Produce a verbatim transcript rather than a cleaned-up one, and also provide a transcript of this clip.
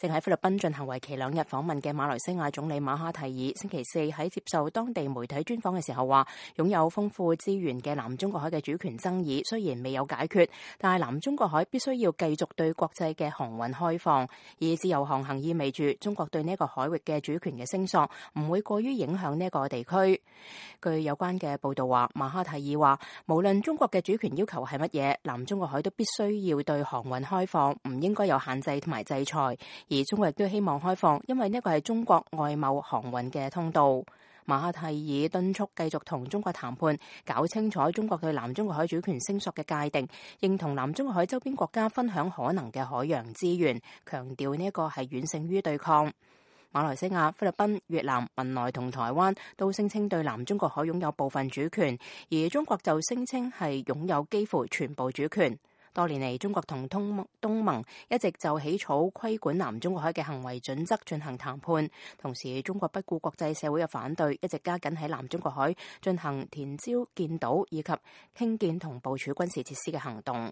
正喺菲律賓進行為期兩日訪問嘅馬來西亞總理馬哈蒂爾，星期四喺接受當地媒體專訪嘅時候話，擁有豐富資源嘅南中國海嘅主權爭議雖然未有解決，但係南中國海必須要繼續對國際嘅航運開放，而自由航行意味住中國對呢個海域嘅主權嘅聲索唔會過於影響呢個地區。據有關嘅報道話，馬哈蒂爾話，無論中國嘅主權要求係乜嘢，南中國海都必須要對航運開放，唔應該有限制同埋制裁。而中國亦都希望開放，因為呢個係中國外貿航運嘅通道。馬哈蒂爾敦促繼續同中國談判，搞清楚中國對南中國海主權聲索嘅界定，認同南中國海周邊國家分享可能嘅海洋資源，強調呢一個係遠勝於對抗。馬來西亞、菲律賓、越南、文萊同台灣都聲稱對南中國海擁有部分主權，而中國就聲稱係擁有幾乎全部主權。多年嚟，中國同東東盟一直就起草規管南中國海嘅行為準則進行談判，同時中國不顧國際社會嘅反對，一直加緊喺南中國海進行填礁建島以及興建同部署軍事設施嘅行動。